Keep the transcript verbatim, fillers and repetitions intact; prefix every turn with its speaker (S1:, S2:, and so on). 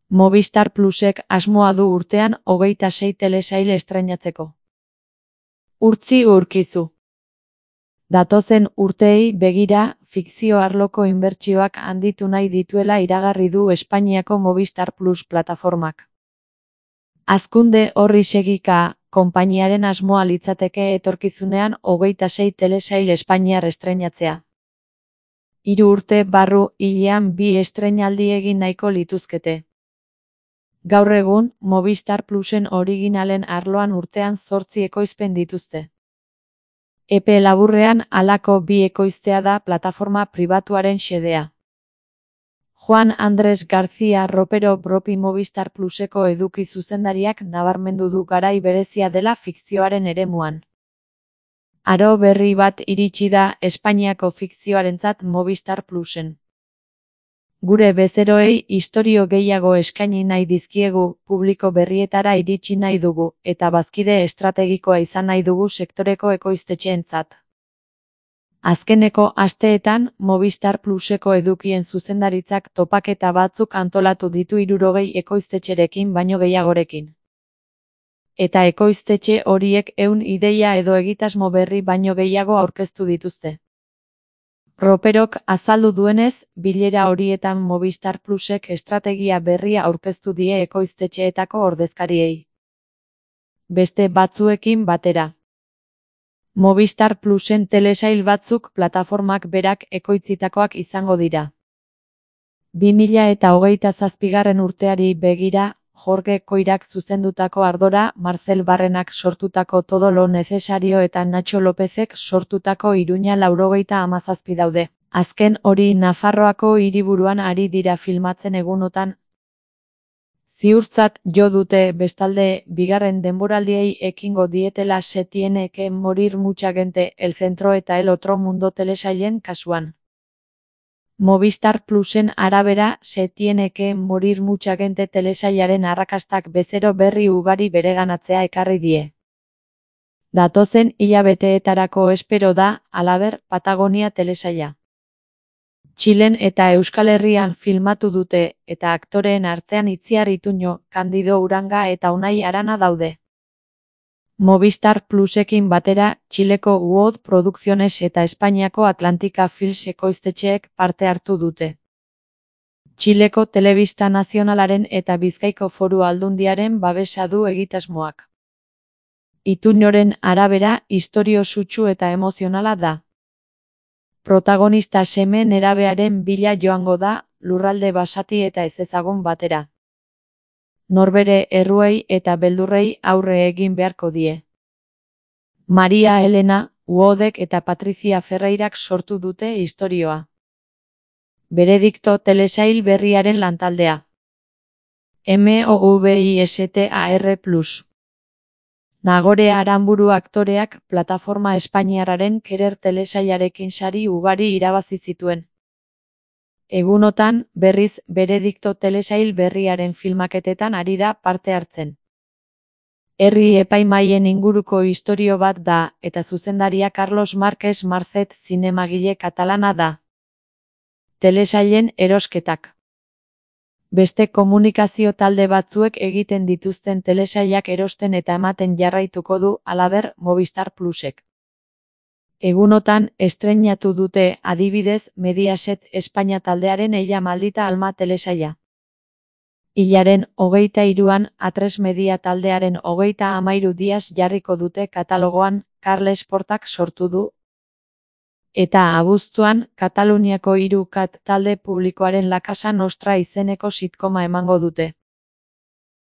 S1: Movistar Plusek asmoa du urtean hogeita sei telesail estreinatzeko. Urtzi urkizu. Datozen urteei begira, fikzio arloko inbertsioak handitu nahi dituela iragarri du Espainiako Movistar Plus plataformak. Hazkunde horri segika, konpainiaren asmoa litzateke etorkizunean hogeita sei telesail espainiar estreinatzea. Hiru urte barru hilean bi estreinaldi egin nahiko lituzkete. Gaur egun, Movistar Plusen originalen arloan urtean zortzi ekoizpen dituzte. Epe laburrean halako bi ekoiztea da plataforma pribatuaren xedea. Juan Andrés García Ropero Propi Movistar Pluseko eduki zuzendariak nabarmendu du garai berezia dela fikzioaren eremuan. Aro berri bat iritsi da Espainiako fikzioarentzat Movistar Plusen. Gure bezeroei istorio gehiago eskaini nahi dizkiegu, publiko berrietara iritsi nahi dugu, eta bazkide estrategikoa izan nahi dugu sektoreko ekoiztetxeentzat. Azkeneko asteetan, Movistar Pluseko edukien zuzendaritzak topaketa batzuk antolatu ditu hirurogei ekoiztetxerekin baino gehiagorekin. Eta ekoiztetxe horiek ehun ideia edo egitasmo berri baino gehiago aurkeztu dituzte. Roperok azaldu duenez, bilera horietan Movistar Plusek estrategia berria aurkeztu die ekoiztetxeetako ordezkariei. Beste batzuekin batera. Movistar Plusen telesail batzuk plataformak berak ekoitzitakoak izango dira. bi mila eta hogeita zazpigarren urteari begira, Jorge Koirak zuzendutako Ardora, Marcel Barrenak sortutako Todo lo Necesario eta Nacho Lópezek sortutako Iruña laurogeita hamazazpi daude. Azken hori Nafarroako hiriburuan ari dira filmatzen egunotan. Ziurtzat jo dute bestalde, bigarren denboraldiei ekingo dietela Se tiene que morir mucha gente, El Centro eta El Otro Mundo telesailen kasuan. Movistar Plusen arabera, Se tiene que morir mucha gente telesailaren arrakastak bezero berri ugari bereganatzea ekarri die. Datozen hilabeteetarako espero da, halaber, Patagonia telesaila. Txilen eta Euskal Herrian filmatu dute, eta aktoreen artean Itziar Ituño, Candido Uranga eta Unai Arana daude. Movistar Plusekin batera, Txileko U O D Producciones eta Espainiako Atlantika Films ekoiztetxeek parte hartu dute. Txileko Telebista Nazionalaren eta Bizkaiko Foru Aldundiaren babesa du egitasmoak. Ituñoren arabera, istorio sutsu eta emozionala da. Protagonista seme nerabearen bila joango da, lurralde basati eta ezezagun batera. Norbere erruei eta beldurrei aurre egin beharko die. Maria Elena, Uodek eta Patricia Ferreirak sortu dute istorioa. Beredikto telesail berriaren lantaldea. Movistar Plus. Nagore Aranburu aktoreak plataforma espainiarraren Kerer telesailarekin sari ugari irabazi zituen. Egunotan, berriz, Beredikto telesail berriaren filmaketetan ari da parte hartzen. Herri epaimaien inguruko istorio bat da, eta zuzendaria Carlos Márquez Marcet zinemagile katalana da. Telesailen erosketak. Beste komunikazio talde batzuek egiten dituzten telesailak erosten eta ematen jarraituko du, halaber, Movistar Plusek. Egunotan, estreinatu dute, adibidez, Mediaset Espainia taldearen Ella maldita alma telesaila. Hilaren hogeita hiruan, Atres Media taldearen hogeita hamairu diaz jarriko dute katalogoan, Carles Portak sortu du. Eta abuztuan, Kataluniako hiru kat talde publikoaren La Casa Nostra izeneko sitkoma emango dute.